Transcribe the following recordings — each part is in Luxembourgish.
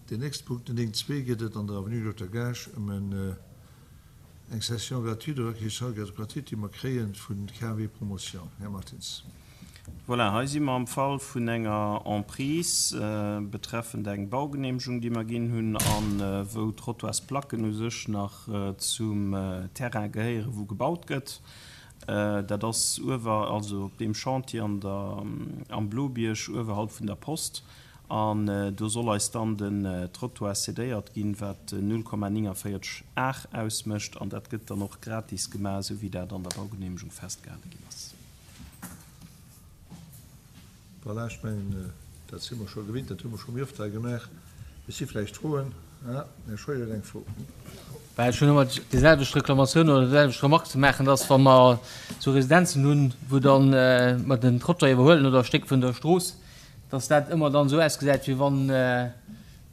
Deen nächste Punkt, den 9.2, geet et an der Avenue Dokter Gaasch ëm eng Cession gratuite oder Acquisition gratuite, déi mer kréie vu KMW Promotion. Här Martins. Voilà, hei si mer am Fall vun enger Emprise betreffend eng Baugenehmegung, déi mer ginn hunn a wou d'Trottoirsplacken u sech nach zum Terrain gehéieren, wou gebaut gëtt. Dat ass uewer, also op deem Chantier an der, am Blobierg uewerhalb vun der Post. An do soll eis dann den Trottoir cédéiert ginn, wat 0,49 Ar ausmécht. An dat gëtt dann och gratis gemaach, esou wéi dat an der Baugenehmegung festgehale ginn ass. Voilà, ech mengen, dat si mer scho gewinnt, dat hu mer scho méi oft hei gemaach. Et si vläicht Froen. Ah, den Här Scheuer huet eng Fro. Well ech hunn ëmmer déi selwecht Reklamatioun oder déi selwecht Remarque ze maachen, dass wa mer esou Residenzen hunn, wou dann mer den Trottoir iwwerhuelen oder e Stéck vun der Strooss, dass dat ëmmer dann esou ausgesäit, wéi wann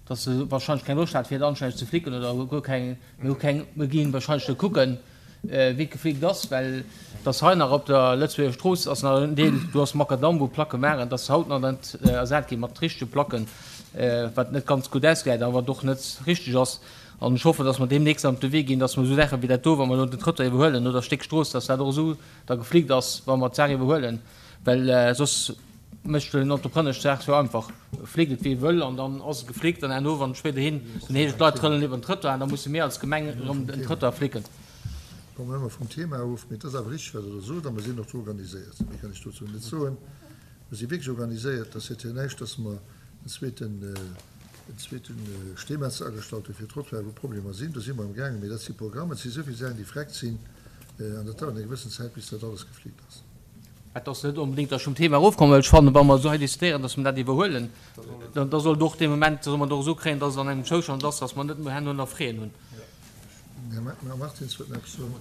dass se wahrscheinlech keng Loscht hat fir et anstänneg ze flicken oder guer keng, mir hu keng, mir ginn wahrscheinlech net kucken, wéi et geflickt ass, well dass hei nach op der Lëtzebuerger Strooss ass nach en Deel, do ass Makadamm, wou Placke waren, dass se haut nach net ersat gi mat richtege Placken, wat net ganz gutt ausgesäit a wat och net richteg ass. An ech hoffen, dass mer deemnächst an op de Wee ginn, dass mer esou Saache wéi dat do, wa mer elo den Trottoir iwwerhuelen oder e Stéck Strooss, dass dat och esou da geflickt ass, wa mer d'Saach iwwerhuelen, well soss mécht den Entrepreneur d'Saach sou einfach, flickt et wéi e wëll an dann ass et geflickt an herno wann et spéiderhin, dann heescht et d'Leit trëllen iwwer den Trëttoir an da musse mir als Gemeng erëm den Trëttoir flicken. Komme mer ëmmer vum Thema of, mee et ass awer richteg wat Der do sot a mer sinn och do organiséiert. Méi kann ech dozou net soen. Mer si wierklech organiséiert. Et ass jo näischt, dass mer en zweeten, en zweete Steemetzer agestallt hu fir Trottoiren, wou Problemer sinn. Do si mer amgaangen, mee dat si Programmen, et si souvill Saachen, déi vreckt sinn an dat dauert eng gewëssen Zäit bis dat alles geflickt ass. Et ass net onbedéngt, datt ech vum Thema erofkommen, well ech fannen, wa mer esou hei diskutéieren, datt mer dat iwwerhuelen, da soll et och dee Moment, da soll mer et och esou kréien, datt et an engem Zoustand ass, datt mer net herno nach Fräen hunn. Här Martins huet nach eppes soen.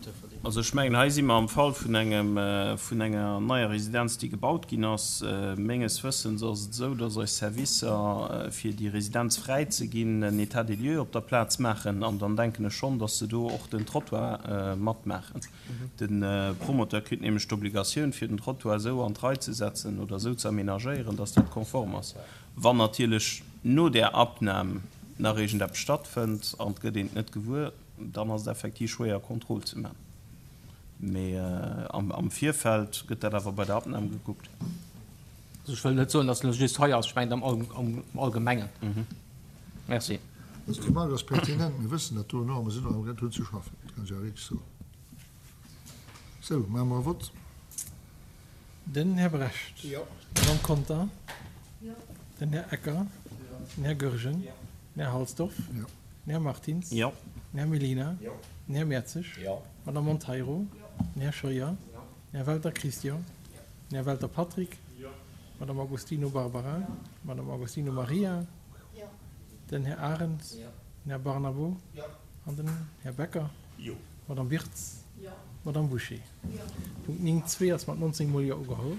Also ech mengen, hei si mer am Fall vun engem, vun enger neier Residenz, déi gebaut ginn ass. Menges Wëssens ass et esou, datt eis Servicer, fir déi Residenz fräi ze ginn, en État des lieux op der Plaz maachen. An dann denken ech schonn, datt se do och den Trottoir matmaachen. De Promoteur kritt nämlech d'Obligatioun, fir den Trottoir esou an d'Rei ze setzen oder esou ze aménagéieren, dass dat konform ass. Wann natierlech no där Abnam nach iergendeppes stattfënnt an et gëtt een et net gewuer, dann ass et effektiv schwéier, Contrôle ze maachen. Mee am Virfeld gëtt dat awer bei der Abnam gekuckt. Also ech wëll net soen, dass et elo just hei ass, ech mengen am Allgemengen. Merci. Also d'Remarque ass pertinent. Mir wëssen dat dono a mer sinn och amgaang drun ze schaffen. Dat kann ech awer wierklech soen. Sou, maache mer e Vott. Den Här Brecht. Jo. D'Madame Conter. Jo. Den Här Ecker. Jo. Den Här Goergen. Jo. Den Här Halsdorf. Jo. Den Här Martins. Jo. Den Här Mellina. Jo. Den Här Mertzig. Jo. D'Madame Monteiro. Jo. Den Här Scheuer. Jo. Den Här Welter Christian. Jo. Den Här Welter Patrick. Jo. D'Madame Agostino Barbara. Jo. D'Madame Agostino Maria. Jo. Den Här Arendt. Jo. Den Här Barnabo. Jo. An den Här Becker. Jo. D'Madame Wirtz. Jo. D'Madame Bouché. Jo. Punkt 9, 2 ass mat 19 mol Jo ugeholl.